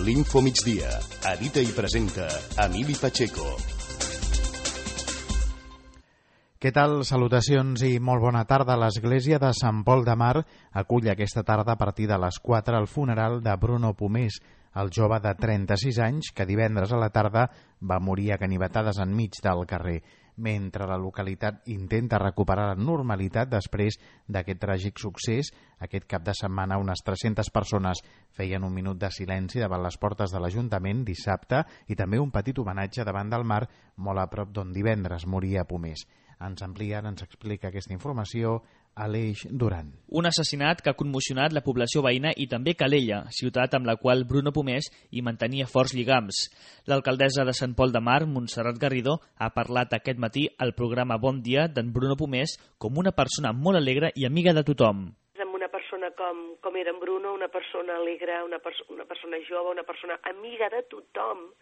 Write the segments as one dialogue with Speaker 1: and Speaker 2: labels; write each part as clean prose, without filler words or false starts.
Speaker 1: l'Info Migdia. Edita i presenta Emili Pacheco.
Speaker 2: Què tal? Salutacions i molt bona tarda. L'Església de Sant Pol de Mar acull aquesta tarda a partir de les 4 el funeral de Bruno Pomés, el jove de 36 anys que divendres a la tarda va morir a ganivetades enmig del carrer, mentre la localitat intenta recuperar la normalitat després d'aquest tràgic succés. Aquest cap de setmana unes 300 persones feien un minut de silenci davant les portes de l'Ajuntament dissabte i també un petit homenatge davant del mar, molt a prop d'on divendres moria Pomés. Ens explica aquesta informació Aleix Duran.
Speaker 3: Un assassinat que ha commocionat la població veïna i també Calella, ciutat amb la qual Bruno Pomés hi mantenia forts lligams. L'alcaldessa de Sant Pol de Mar, Montserrat Garrido, ha parlat aquest matí al programa Bon Dia d'en Bruno Pomés com una persona molt alegre i amiga de tothom.
Speaker 4: Amb una persona com era en Bruno, una persona alegre, una persona jove, una persona amiga de tothom,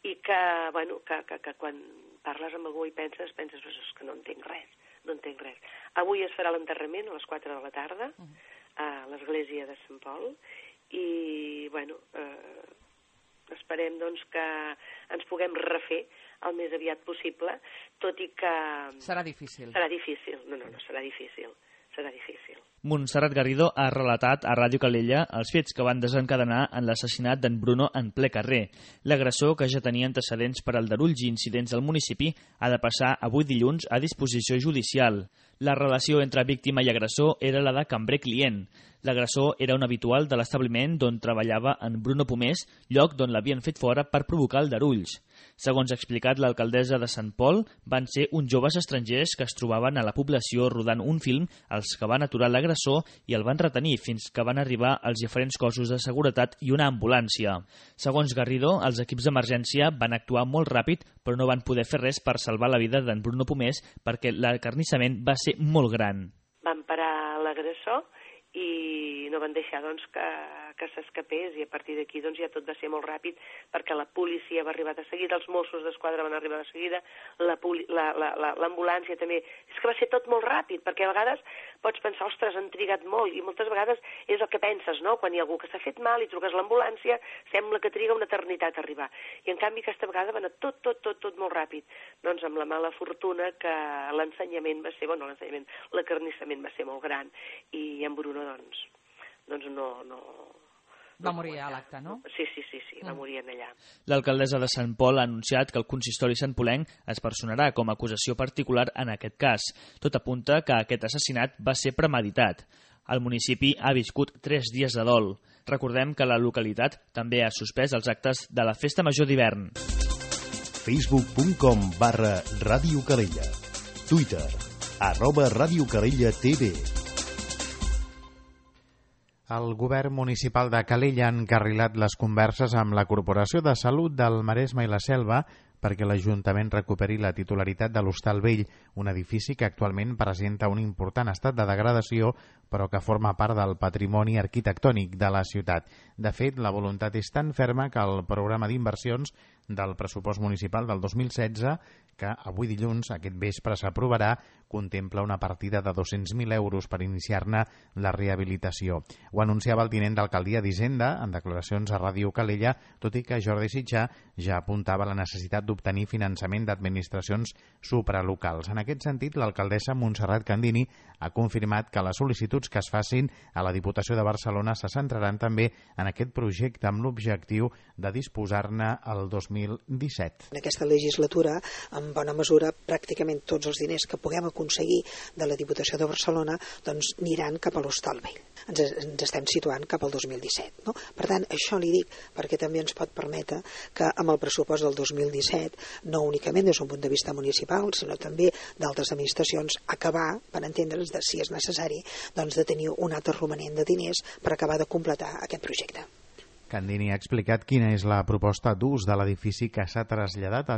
Speaker 4: i que quan parles amb algú i penses que no entenc res. Avui es farà l'enterrament a les 4 de la tarda a l'església de Sant Pol i, esperem doncs que ens puguem refer el més aviat possible, tot i que...
Speaker 5: Serà difícil.
Speaker 4: Serà difícil. No, serà difícil.
Speaker 3: Montserrat Garrido ha relatat a Ràdio Calella els fets que van desencadenar en l'assassinat d'en Bruno en ple carrer. L'agressor, que ja tenia antecedents per aldarulls i incidents del municipi, ha de passar avui dilluns a disposició judicial. La relació entre víctima i agressor era la de cambrer-client. L'agressor era un habitual de l'establiment d'on treballava en Bruno Pomés, lloc d'on l'havien fet fora per provocar aldarulls. Segons ha explicat l'alcaldessa de Sant Pol, van ser uns joves estrangers que es trobaven a la població rodant un film els que van aturar l'agressor i el van retenir fins que van arribar els diferents cossos de seguretat i una ambulància. Segons Garrido, els equips d'emergència van actuar molt ràpid però no van poder fer res per salvar la vida d'en Bruno Pomés perquè l'acarnissament va ser molt gran.
Speaker 4: Van parar l'agressor i no van deixar que s'escapés i a partir d'aquí ja tot va ser molt ràpid perquè la policia va arribar de seguida, els Mossos d'Esquadra van arribar de seguida, l'ambulància també. És que va ser tot molt ràpid perquè a vegades pots pensar, ostres, han trigat molt i moltes vegades és el que penses, no? Quan hi ha algú que s'ha fet mal i truques a l'ambulància sembla que triga una eternitat a arribar i en canvi aquesta vegada va anar tot molt ràpid. Doncs amb la mala fortuna que l'acarnissament va ser molt gran i en Bruno doncs no...
Speaker 5: Va morir a l'acte, no?
Speaker 4: Sí, va morir allà.
Speaker 3: L'alcaldessa de Sant Pol ha anunciat que el consistori santpolenc es personarà com a acusació particular en aquest cas. Tot apunta que aquest assassinat va ser premeditat. El municipi ha viscut 3 dies de dol. Recordem que la localitat també ha suspès els actes de la Festa Major d'hivern.
Speaker 1: Facebook.com/Ràdio Calella. Twitter @Ràdio Calella TV.
Speaker 2: El govern municipal de Calella ha encarrilat les converses amb la Corporació de Salut del Maresme i la Selva perquè l'Ajuntament recuperi la titularitat de l'Hostal Vell, un edifici que actualment presenta un important estat de degradació però que forma part del patrimoni arquitectònic de la ciutat. De fet, la voluntat és tan ferma que el programa d'inversions del pressupost municipal del 2016, que avui dilluns, aquest vespre, s'aprovarà, contempla una partida de 200.000 euros per iniciar-ne la rehabilitació. Ho anunciava el tinent d'alcaldia d'Hisenda en declaracions a Ràdio Calella, tot i que Jordi Sitjà ja apuntava la necessitat d'obtenir finançament d'administracions supralocals. En aquest sentit, l'alcaldessa Montserrat Candini ha confirmat que les sol·licituds que es facin a la Diputació de Barcelona se centraran també en aquest projecte amb l'objectiu de disposar-ne el 2017.
Speaker 6: En aquesta legislatura, en bona mesura, pràcticament tots els diners que puguem aconseguir de la Diputació de Barcelona doncs aniran cap a l'Hostal Vell. Ens estem situant cap al 2017. No? Per tant, això li dic perquè també ens pot permetre que amb el pressupost del 2017, no únicament des d'un punt de vista municipal, sinó també d'altres administracions, acabar, per entendre'ns, si és necessari, doncs de tenir un altre romanent de diners per acabar de completar aquest projecte.
Speaker 2: Candini ha explicat quina és la proposta d'ús de l'edifici que s'ha traslladat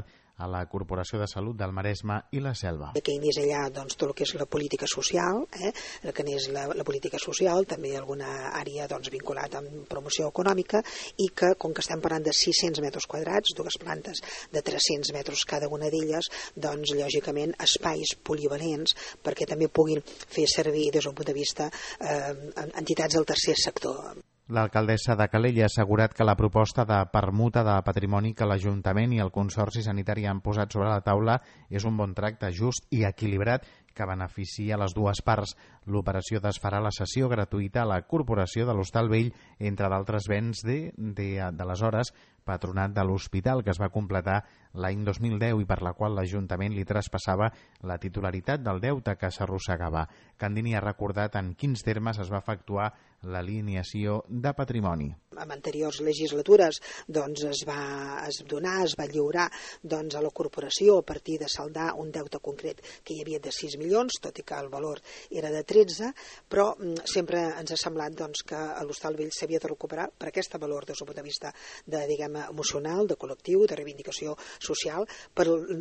Speaker 2: a la Corporació de Salut del Maresme i la Selva.
Speaker 6: Que més enllà doncs, tot el que és la política social, el que és la política social, també alguna àrea doncs, vinculada amb promoció econòmica i que, com que estem parlant de 600 metres quadrats, dues plantes de 300 metres cada una d'elles, doncs lògicament espais polivalents perquè també puguin fer servir des d'un punt de vista entitats del tercer sector.
Speaker 2: L'alcaldessa de Calella ha assegurat que la proposta de permuta de patrimoni que l'Ajuntament i el Consorci Sanitari han posat sobre la taula és un bon tracte just i equilibrat que beneficia les dues parts. L'operació desfarà la cessió gratuïta a la Corporació de l'Hostal Vell, entre d'altres béns d'aleshores Patronat de l'Hospital, que es va completar l'any 2010 i per la qual l'Ajuntament li traspassava la titularitat del deute que s'arrossegava. Candini ha recordat en quins termes es va efectuar l'alineació de patrimoni.
Speaker 6: En anteriors legislatures es va lliurar a la corporació a partir de saldar un deute concret que hi havia de 6 milions, tot i que el valor era de 13, però sempre ens ha semblat que l'Hostal Vell s'havia de recuperar per aquest valor des del punt de vista emocional, de col·lectiu, de reivindicació social,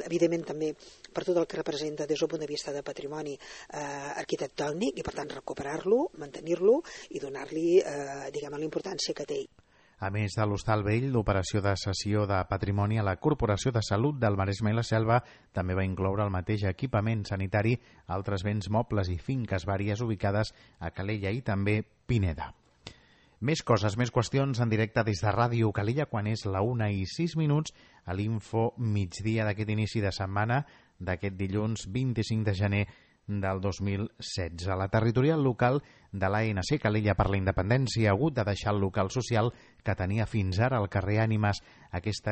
Speaker 6: evidentment també per tot el que representa des del punt de vista de patrimoni arquitectònic i per tant recuperar-lo, mantenir-lo i donar-li la importància que té.
Speaker 2: A més de l'Hostal Vell, l'operació de cessió de patrimoni a la Corporació de Salut del Maresme i la Selva també va incloure el mateix equipament sanitari, altres béns mobles i finques vàries ubicades a Calella i també Pineda. Més coses, més qüestions en directe des de Ràdio Calella quan és la 1:06 a l'Info migdia d'aquest inici de setmana d'aquest dilluns 25 de gener del 2016. La territorial local de l'ANC Calella per la Independència ha hagut de deixar el local social que tenia fins ara al carrer Ànimes. Aquest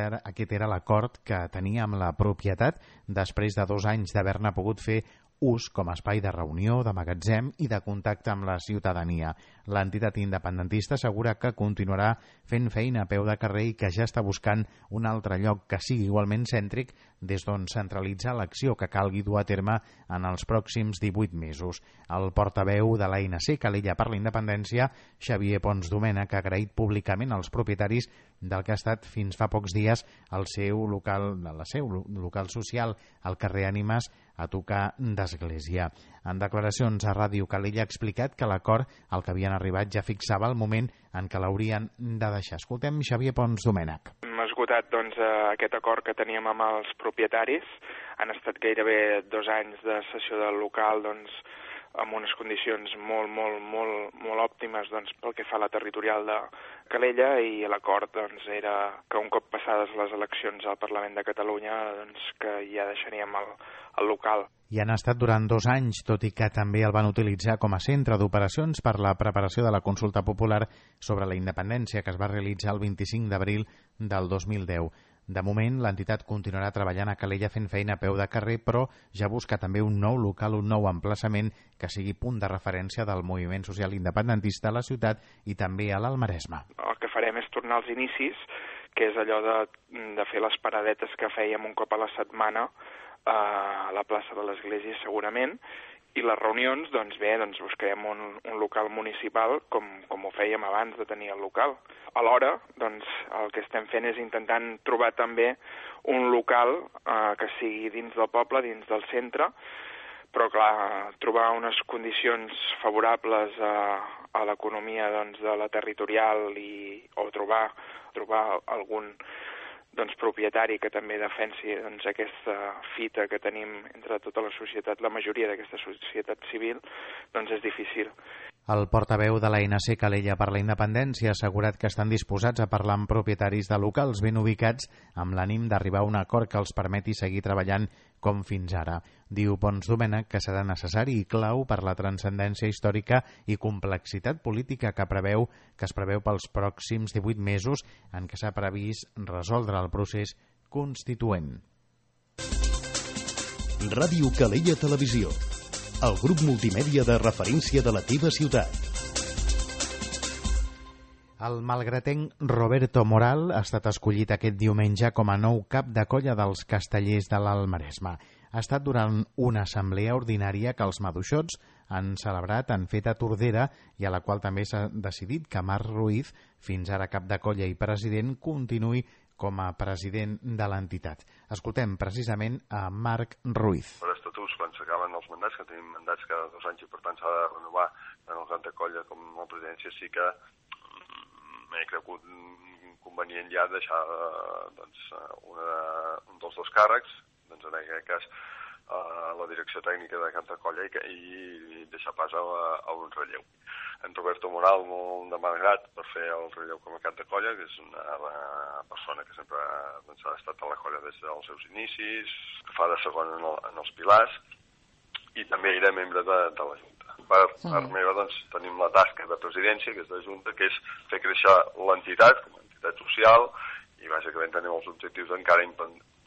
Speaker 2: era l'acord que tenia amb la propietat després de 2 anys d'haver-ne pogut fer ús com a espai de reunió, de magatzem i de contacte amb la ciutadania. L'entitat independentista assegura que continuarà fent feina a peu de carrer i que ja està buscant un altre lloc que sigui igualment cèntric des d'on centralitzar l'acció que calgui dur a terme en els pròxims 18 mesos. El portaveu de l'ANC Calella per la Independència, Xavier Pons Domènech, ha agraït públicament als propietaris del que ha estat fins fa pocs dies el seu local social al carrer Ànimes a tocar d'església. En declaracions a Ràdio Calella ha explicat que l'acord al que havien arribat ja fixava el moment en què l'haurien de deixar. Escoltem Xavier Pons Domènech.
Speaker 7: Hem esgotat aquest acord que teníem amb els propietaris. Han estat gairebé 2 anys de cessió del local amb unes condicions molt òptimes pel que fa a la territorial de Calella, i l'acord era que un cop passades les eleccions al Parlament de Catalunya que ja deixaríem el local.
Speaker 2: I han estat durant 2 anys, tot i que també el van utilitzar com a centre d'operacions per la preparació de la consulta popular sobre la independència que es va realitzar el 25 d'abril del 2010. De moment, l'entitat continuarà treballant a Calella fent feina a peu de carrer, però ja busca també un nou local, un nou emplaçament que sigui punt de referència del moviment social independentista a la ciutat i també a l'Alt Maresme.
Speaker 7: El que farem és tornar als inicis, que és allò de fer les paradetes que fèiem un cop a la setmana a la plaça de l'Església segurament, i les reunions, buscarem un local municipal com ho fèiem abans de tenir el local. Alhora, el que estem fent és intentant trobar també un local que sigui dins del poble, dins del centre, però clar, trobar unes condicions favorables a l'economia de la territorial o trobar algun propietari que també defensi aquesta fita que tenim entre tota la societat, la majoria d'aquesta societat civil, és difícil.
Speaker 2: El portaveu de l'ANC Calella per la Independència ha assegurat que estan disposats a parlar amb propietaris de locals ben ubicats amb l'ànim d'arribar a un acord que els permeti seguir treballant com fins ara. Diu Pons Domènech que serà necessari i clau per la transcendència històrica i complexitat política que es preveu pels pròxims 18 mesos en què s'ha previst resoldre el procés constituent.
Speaker 1: Ràdio Calella Televisió, el grup multimèdia de referència de la teva ciutat.
Speaker 2: El malgratenc Roberto Moral ha estat escollit aquest diumenge com a nou cap de colla dels Castellers de l'Alt Maresme. Ha estat durant una assemblea ordinària que els maduixots han celebrat en feta Tordera i a la qual també s'ha decidit que Marc Ruiz, fins ara cap de colla i president, continuï com a president de l'entitat. Escoltem precisament a Marc Ruiz.
Speaker 8: Per estatuts, quan s'acaben els mandats, que tenim mandats cada 2 anys i per tant s'ha de renovar tant el cap de colla com la presidència, sí que m'he cregut convenient ja deixar un dels 2 càrrecs, en aquest cas la direcció tècnica de Canta Colla i deixar pas a un relleu. En Roberto Moral molt demanat per fer el relleu com a Canta Colla, que és una persona que sempre ha estat a la colla des dels seus inicis, que fa de segon en els pilars, i també era membre de la Junta. Per part meva, doncs, tenim la tasca de presidència, que és de Junta, que és fer créixer l'entitat com a entitat social, i bàsicament tenim els objectius d'encara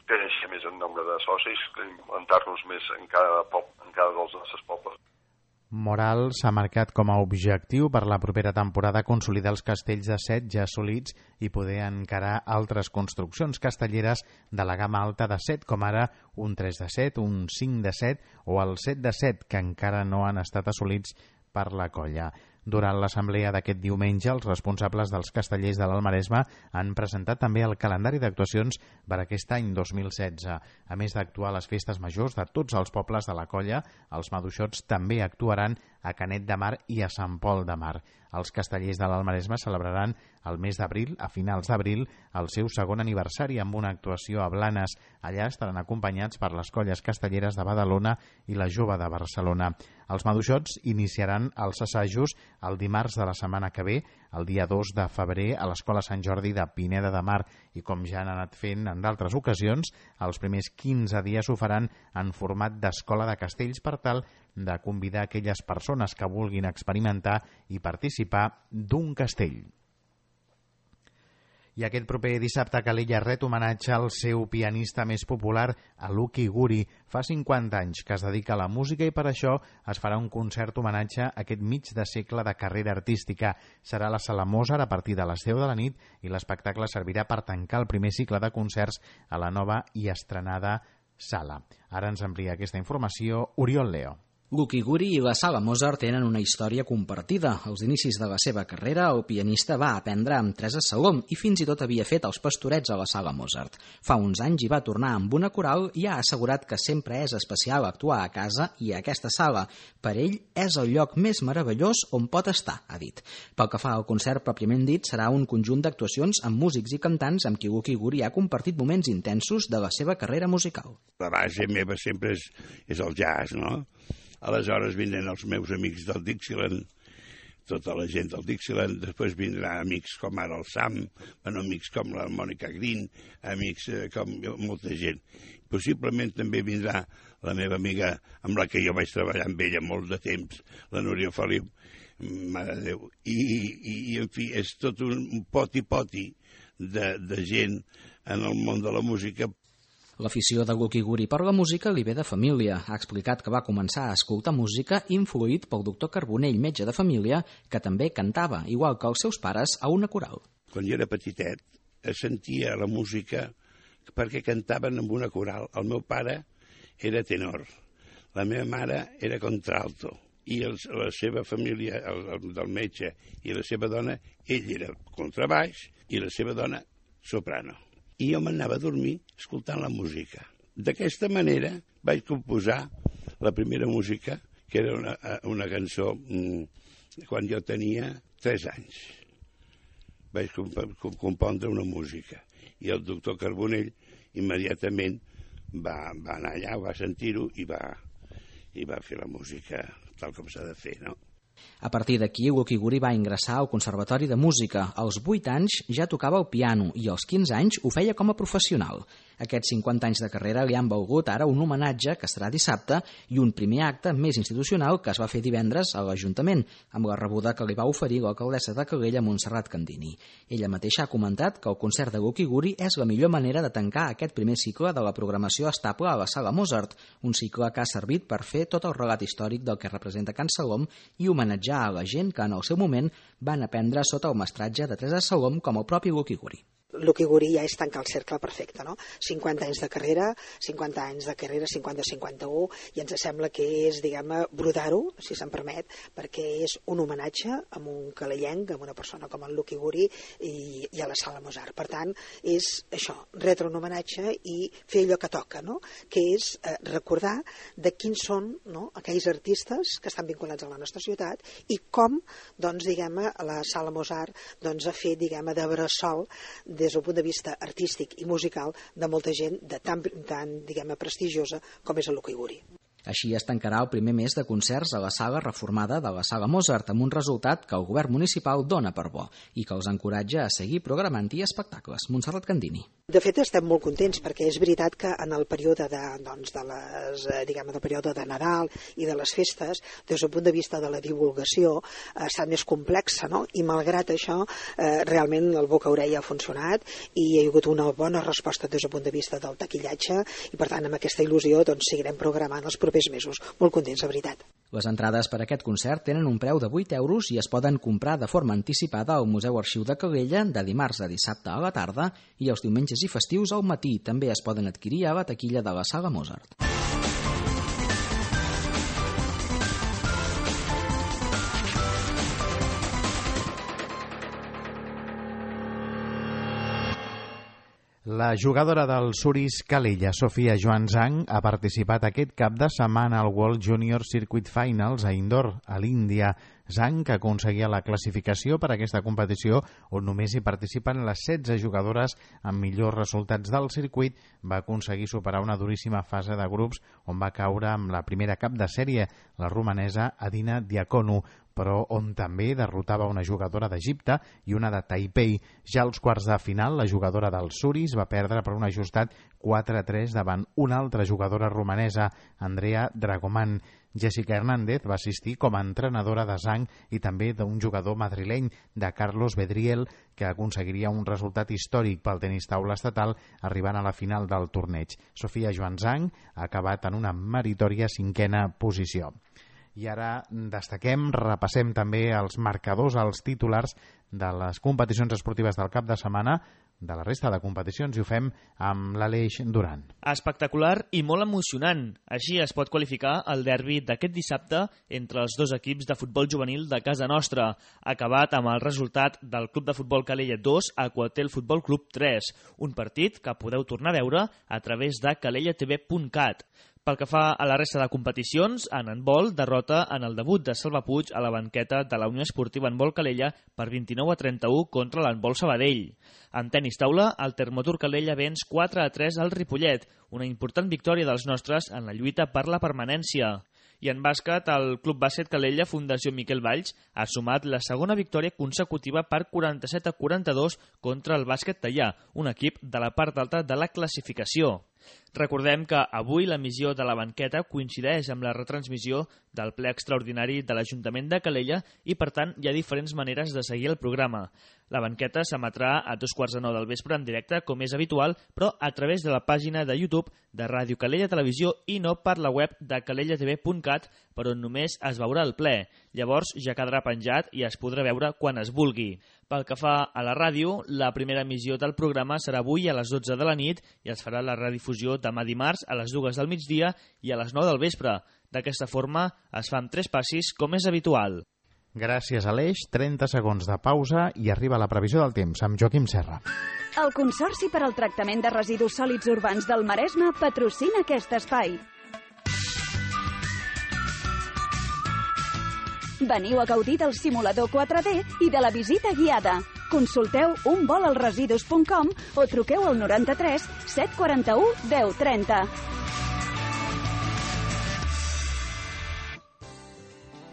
Speaker 8: créixer més en nombre de socis, implantar-nos més en cada dels nostres pobles.
Speaker 2: Moral s'ha marcat com a objectiu per la propera temporada consolidar els castells de set ja assolits i poder encarar altres construccions castelleres de la gamma alta de set, com ara un 3 de 7, un 5 de 7 o el 7 de 7, que encara no han estat assolits per la colla. Durant l'assemblea d'aquest diumenge, els responsables dels castellers de l'Alt Maresme han presentat també el calendari d'actuacions per aquest any 2016. A més d'actuar a les festes majors de tots els pobles de la colla, els maduixots també actuaran a Canet de Mar i a Sant Pol de Mar. Els castellers de l'Alt Maresme celebraran el mes d'abril, a finals d'abril, el seu segon aniversari amb una actuació a Blanes. Allà estaran acompanyats per les colles castelleres de Badalona i la Jove de Barcelona. Els maduixots iniciaran els assajos el dimarts de la setmana que ve, el dia 2 de febrer, a l'Escola Sant Jordi de Pineda de Mar, i com ja han anat fent en d'altres ocasions, els primers 15 dies ho faran en format d'escola de castells per tal de convidar aquelles persones que vulguin experimentar i participar d'un castell. I aquest proper dissabte Calella ret homenatge al seu pianista més popular, a Lucky Guri. Fa 50 anys que es dedica a la música i per això es farà un concert homenatge a aquest mig de segle de carrera artística. Serà a la Sala Mozart a partir de les 10 de la nit i l'espectacle servirà per tancar el primer cicle de concerts a la nova i estrenada sala. Ara ens amplia aquesta informació Oriol Leo.
Speaker 9: Lucky Guri i la Sala Mozart tenen una història compartida. Als inicis de la seva carrera, el pianista va aprendre amb Teresa Salom i fins i tot havia fet els pastorets a la Sala Mozart. Fa uns anys hi va tornar amb una coral i ha assegurat que sempre és especial actuar a casa i a aquesta sala. Per ell és el lloc més meravellós on pot estar, ha dit. Pel que fa al concert pròpiament dit, serà un conjunt d'actuacions amb músics i cantants amb qui Lucky Guri ha compartit moments intensos de la seva carrera musical.
Speaker 10: La base meva sempre és el jazz, no? Aleshores vindran els meus amics del Dixieland, tota la gent del Dixieland, després vindran amics com ara el Sam, amics com la Mònica Green, amics com molta gent. Possiblement també vindrà la meva amiga amb la que jo vaig treballar amb ella molt de temps, la Núria Feliu, mare de Déu. I en fi, és tot un poti-poti de gent en el món de la música.
Speaker 9: L'afició de Lucky Guri per la música li ve de família. Ha explicat que va començar a escoltar música influït pel doctor Carbonell, metge de família, que també cantava, igual que els seus pares, a una coral.
Speaker 10: Quan jo era petitet, sentia la música perquè cantaven amb una coral. El meu pare era tenor, la meva mare era contralto, i la seva família, el del metge i la seva dona, ell era contrabaix i la seva dona soprano. I jo m'anava a dormir escoltant la música. D'aquesta manera vaig composar la primera música, que era una cançó quan jo tenia 3 anys. Vaig compondre una música. I el doctor Carbonell immediatament va anar allà, va sentir-ho i va fer la música tal com s'ha de fer, no?
Speaker 9: A partir d'aquí, Lucky Guri va ingressar al Conservatori de Música. Als 8 anys ja tocava el piano i als 15 anys ho feia com a professional. Aquests 50 anys de carrera li han valgut ara un homenatge que serà dissabte i un primer acte més institucional que es va fer divendres a l'Ajuntament, amb la rebuda que li va oferir l'alcaldessa de Calella, Montserrat Candini. Ella mateixa ha comentat que el concert de Lucky Guri és la millor manera de tancar aquest primer cicle de la programació estable a la Sala Mozart, un cicle que ha servit per fer tot el relat històric del que representa Can Salom i homenatjar a la gent que en el seu moment van aprendre sota el mestratge de Teresa Salom com el propi Lucky Guri.
Speaker 6: Lucky Guri ja és tancar el cercle perfecte, no? 50 anys de carrera, 50-51, i ens sembla que és, diguem-ne, brodar-ho, si se'n permet, perquè és un homenatge a un calellenc, a una persona com el Lucky Guri i a la Sala Mozart. Per tant, és això, retre un homenatge i fer allò que toca, no? Que és recordar de quins són, no, aquells artistes que estan vinculats a la nostra ciutat i com, doncs, diguem-ne, la Sala Mozart doncs, ha fet, diguem-ne, de bressol des del punt de vista artístic i musical de molta gent de tan diguem-ne, prestigiosa com és el Luca Iguri.
Speaker 9: Així es tancarà el primer mes de concerts a la sala reformada de la Sala Mozart, amb un resultat que el govern municipal dona per bo i que els encoratja a seguir programant-hi espectacles. Montserrat Candini.
Speaker 6: De fet, estem molt contents perquè és veritat que en el període del període de Nadal i de les festes, des del punt de vista de la divulgació, ha estat més complexa, no? I malgrat això, realment el boca-orella ha funcionat i hi ha hagut una bona resposta des del punt de vista del taquillatge i, per tant, amb aquesta il·lusió seguirem programant els propers mesos. Molt contents, de veritat.
Speaker 9: Les entrades per a aquest concert tenen un preu de 8 euros i es poden comprar de forma anticipada al Museu Arxiu de Calella de dimarts a dissabte a la tarda i els diumenges i festius al matí. També es poden adquirir a la taquilla de la Sala Mozart.
Speaker 2: La jugadora del Suris Calella, Sofia Joan Zhang, ha participat aquest cap de setmana al World Junior Circuit Finals a Indore, a l'Índia. Zhang, que aconseguia la classificació per a aquesta competició, on només hi participen les 16 jugadores amb millors resultats del circuit, va aconseguir superar una duríssima fase de grups on va caure amb la primera cap de sèrie, la romanesa Adina Diakonu, però on també derrotava una jugadora d'Egipte i una de Taipei. Ja als quarts de final, la jugadora del Suris va perdre per un ajustat 4-3 davant una altra jugadora romanesa, Andrea Dragoman. Jessica Hernández va assistir com a entrenadora de Zhang i també d'un jugador madrileny, de Carlos Bedriel, que aconseguiria un resultat històric pel tenis taula estatal arribant a la final del torneig. Sofia Joan Zhang ha acabat en una meritòria 5a posició. I ara destaquem, repassem també els marcadors, els titulars de les competicions esportives del cap de setmana, de la resta de competicions, i ho fem amb l'Aleix Duran.
Speaker 3: Espectacular i molt emocionant. Així es pot qualificar el derbi d'aquest dissabte entre els dos equips de futbol juvenil de casa nostra, acabat amb el resultat del Club de Futbol Calella 2 a Aquatel Futbol Club 3, un partit que podeu tornar a veure a través de calellatv.cat. Pel que fa a la resta de competicions, en handbol, derrota en el debut de Salva Puig a la banqueta de la Unió Esportiva Handbol Calella per 29-31 contra l'Handbol Sabadell. En tenis taula, el Termotur Calella venç 4-3 al Ripollet, una important victòria dels nostres en la lluita per la permanència. I en bàsquet, el Club Bàsquet Calella Fundació Miquel Valls ha sumat la segona victòria consecutiva per 47-42 contra el Bàsquet Teià, un equip de la part alta de la classificació. Recordem que avui l'emissió de la banqueta coincideix amb la retransmissió del ple extraordinari de l'Ajuntament de Calella i, per tant, hi ha diferents maneres de seguir el programa. La banqueta s'emetrà a 2:45 del vespre en directe, com és habitual, però a través de la pàgina de YouTube de Ràdio Calella Televisió i no per la web de calellatv.cat, per on només es veurà el ple. Llavors ja quedarà penjat i es podrà veure quan es vulgui. Pel que fa a la ràdio, la primera emissió del programa serà avui a les 12 de la nit i es farà la redifusió demà dimarts a les 2 del migdia i a les 9 del vespre. D'aquesta forma es fan 3 passis, com és habitual.
Speaker 2: Gràcies, Aleix. 30 segons de pausa i arriba la previsió del temps amb Joaquim Serra.
Speaker 11: El Consorci per al Tractament de Residus Sòlids Urbans del Maresme patrocina aquest espai. Veniu a gaudir del simulador 4D i de la visita guiada. Consulteu unvolalresidus.com o truqueu al 93 741 1030.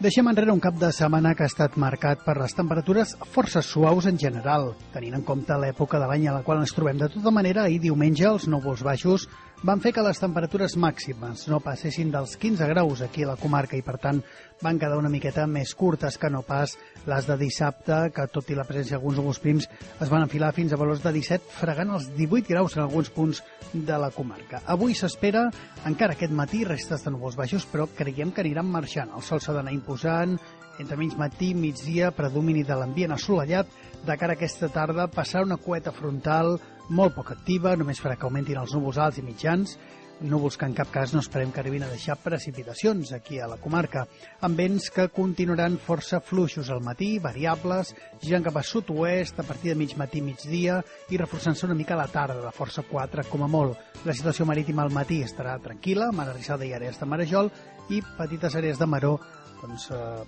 Speaker 12: Deixem enrere un cap de setmana que ha estat marcat per les temperatures força suaus en general, tenint en compte l'època de l'any a la qual ens trobem. De tota manera, ahir diumenge els núvols baixos van fer que les temperatures màximes no passessin dels 15 graus aquí a la comarca i, per tant, van quedar una miqueta més curtes que no pas les de dissabte, que tot i la presència d'alguns núvols prims es van enfilar fins a valors de 17, fregant els 18 graus en alguns punts de la comarca. Avui s'espera encara aquest matí restes de núvols baixos, però creiem que aniran marxant. El sol s'ha d'anar imposant, entre mig matí i migdia, predomini de l'ambient assolellat. De cara a aquesta tarda passarà una cueta frontal molt poc activa, només farà que augmentin els núvols alts i mitjans, núvols que en cap cas no esperem que arribin a deixar precipitacions aquí a la comarca, amb vents que continuaran força fluixos al matí, variables, girant cap a sud-oest a partir de mig matí i migdia i reforçant-se una mica a la tarda, de força 4 com a molt. La situació marítima al matí estarà tranquil·la, mar arrissada i àrees de marejol i petites àrees de maró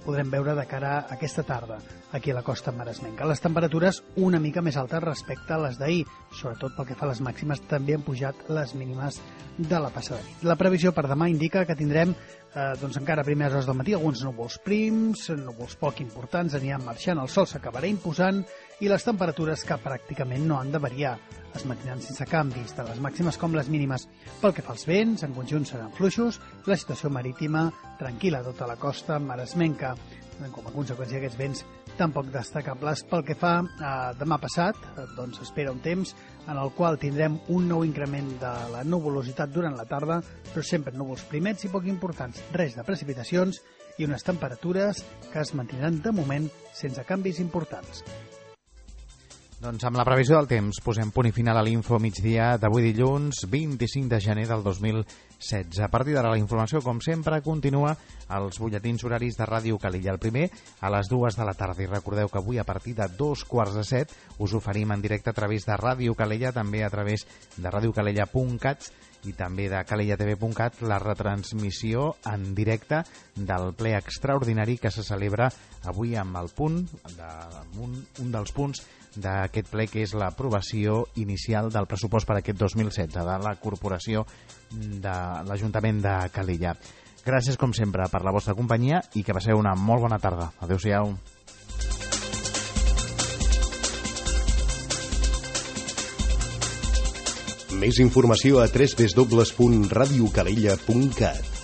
Speaker 12: podrem veure de cara a aquesta tarda aquí a la costa maresmenca. Les temperatures una mica més altes respecte a les d'ahir, sobretot pel que fa a les màximes, també han pujat les mínimes de la passada nit. La previsió per demà indica que tindrem encara a primeres hores del matí alguns núvols prims, núvols poc importants, aniran marxant, el sol s'acabarà imposant i les temperatures que pràcticament no han de variar. Es mantindran sense canvis, tant les màximes com les mínimes. Pel que fa als vents, en conjunt seran fluixos, la situació marítima tranquil·la a tota la costa maresmenca. Com a conseqüència d'aquests vents tampoc destacables. Pel que fa a demà passat, espera un temps en el qual tindrem un nou increment de la nuvolositat durant la tarda, però sempre núvols primets i poc importants, res de precipitacions i unes temperatures que es mantindran de moment sense canvis importants.
Speaker 2: Doncs amb la previsió del temps posem punt i final a l'Info migdia d'avui dilluns 25 de gener del 2016. A partir d'ara la informació, com sempre, continua als butlletins horaris de Ràdio Calella. El primer a les 2 de la tarda. I recordeu que avui a partir de 2:45 us oferim en directe a través de Ràdio Calella, també a través de radiocalella.cat i també de calellatv.cat la retransmissió en directe del ple extraordinari que se celebra avui amb el punt un dels punts d'aquest ple, que és l'aprovació inicial del pressupost per aquest 2016 de la Corporació de l'Ajuntament de Calella. Gràcies, com sempre, per la vostra companyia i que passeu una molt bona tarda. Adéu-siau.
Speaker 1: Més informació a www.radiocalella.cat.